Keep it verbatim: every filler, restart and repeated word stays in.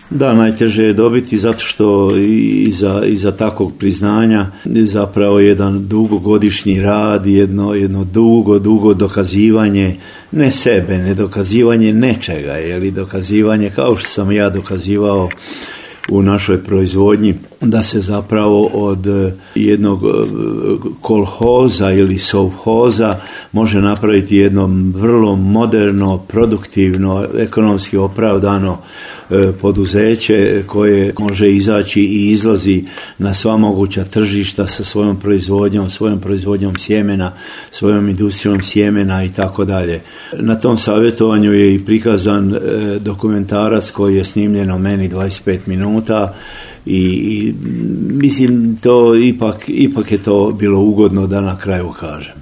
Da, najteže je dobiti zato što iza, iza takvog priznanja zapravo jedan dugogodišnji rad, jedno, jedno dugo, dugo dokazivanje, ne sebe, ne dokazivanje nečega, ili dokazivanje kao što sam ja dokazivao u našoj proizvodnji, da se zapravo od jednog kolhoza ili sovhoza može napraviti jedno vrlo moderno, produktivno, ekonomski opravdano poduzeće koje može izaći i izlazi na sva moguća tržišta sa svojom proizvodnjom, svojom proizvodnjom sjemena, svojom industrijom sjemena i tako dalje. Na tom savjetovanju je i prikazan dokumentarac koji je snimljeno meni dvadeset pet minuta i, i mislim to ipak, ipak je to bilo ugodno da na kraju kažem.